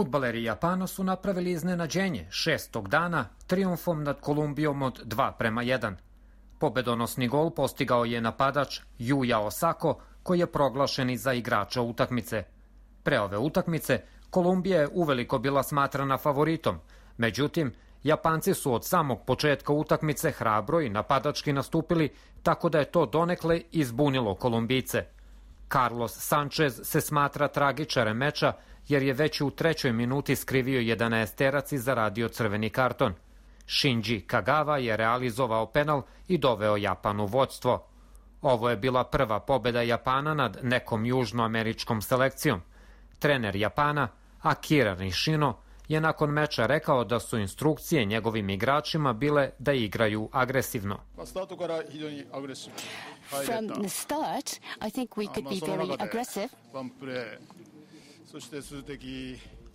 Fudbaleri Japana su napravili iznenađenje 6. dana trijumfom nad Kolumbijom od 2:1. Pobedonosni gol postigao je napadač Yuya Osako, koji je proglašen i za igrača utakmice. Pre ove utakmice Kolumbija je uveliko bila smatrana favoritom, međutim, Japanci su od samog početka utakmice hrabro i napadački nastupili, tako da je to donekle izbunilo Kolumbijce. Carlos Sanchez se smatra tragičarem meča jer je već u 3. minuti skrivio 11-terac i zaradio crveni karton. Shinji Kagawa je realizovao penal i doveo Japan u vođstvo. Ovo je bila prva pobeda Japana nad nekom južnoameričkom selekcijom. Trener Japana, Akira Nishino, je nakon meča rekao da su instrukcije njegovim igračima bile da igraju agresivno. From the start, I think we could be very aggressive.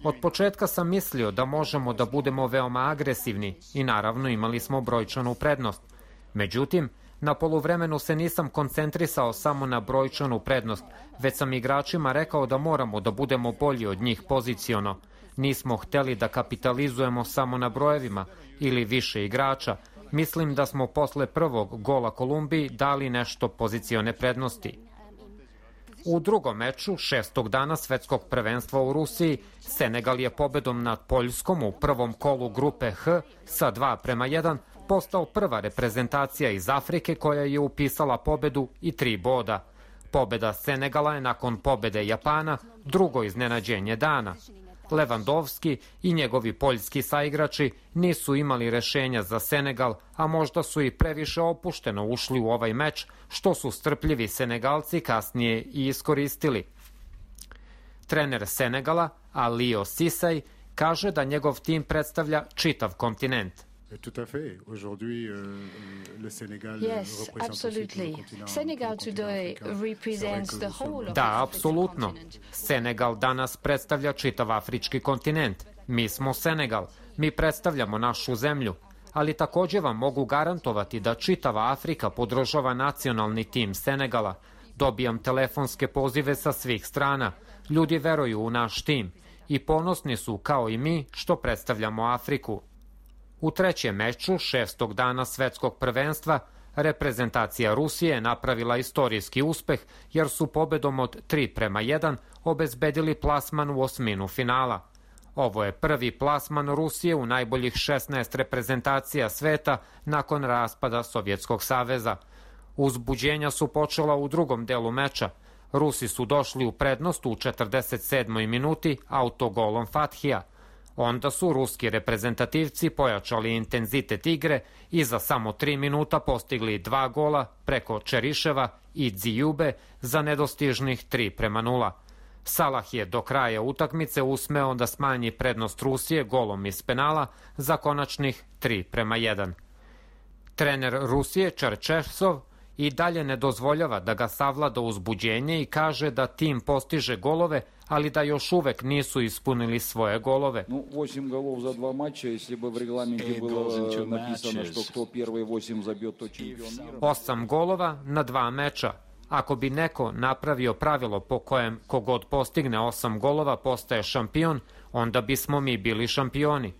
Od početka sam mislio da možemo da budemo veoma agresivni i naravno imali smo brojčanu prednost. Međutim, na poluvremenu se nisam koncentrisao samo na brojčanu prednost, već sam igračima rekao da moramo da budemo bolji od njih poziciono. Nismo hteli da kapitalizujemo samo na brojevima ili više igrača. Mislim da smo posle prvog gola Kolumbiji dali nešto pozicione prednosti. U drugom meču 6. dana svetskog prvenstva u Rusiji, Senegal je pobedom nad Poljskom u prvom kolu grupe H sa 2:1 postao prva reprezentacija iz Afrike koja je upisala pobedu i 3 boda. Pobeda Senegala je nakon pobede Japana drugo iznenađenje dana. Lewandowski i njegovi poljski saigrači nisu imali rešenja za Senegal, a možda su i previše opušteno ušli u ovaj meč, što su strpljivi Senegalci kasnije i iskoristili. Trener Senegala, Aliou Cissé, kaže da njegov tim predstavlja čitav kontinent. Tout à fait. Aujourd'hui, le Sénégal Yes, absolutely. Senegal today represents the whole of Da, apsolutno. Senegal danas predstavlja čitav afrički kontinent. Mi smo Senegal. Mi predstavljamo našu zemlju. Ali takođe vam mogu garantovati da čitava Afrika podržava nacionalni tim Senegala. Dobijam telefonske pozive sa svih strana. Ljudi veruju u naš tim i ponosni su, kao i mi, što predstavljamo Afriku. U trećem meču 6. dana svetskog prvenstva reprezentacija Rusije je napravila istorijski uspeh jer su pobedom od 3:1 obezbedili plasman u osminu finala. Ovo je prvi plasman Rusije u najboljih 16 reprezentacija sveta nakon raspada Sovjetskog saveza. Uzbuđenja su počela u drugom delu meča. Rusi su došli u prednost u 47. minuti autogolom Fathija. Onda su ruski reprezentativci pojačali intenzitet igre i za samo 3 minuta postigli 2 gola preko Čeriševa i Dzijube za nedostižnih 3:0. Salah je do kraja utakmice usmeo da smanji prednost Rusije golom iz penala za konačnih 3:1. Trener Rusije Čerčesov i dalje ne dozvoljava da ga savlada uzbuđenje i kaže da tim postiže golove, ali da još uvek nisu ispunili svoje golove. 8 golov za 2 mača, если бы в регламенте было написано, что кто первые 8 забьет, то чемпион. 8 golova na 2 meča. Ako bi neko napravio pravilo po kojem kogod postigne 8 golova postaje šampion, onda bismo mi bili šampioni.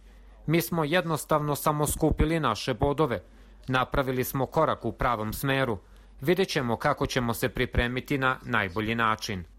Mi smo jednostavno samo skupili naše bodove. Napravili smo korak u pravom smeru. Vidjet ćemo kako ćemo se pripremiti na najbolji način.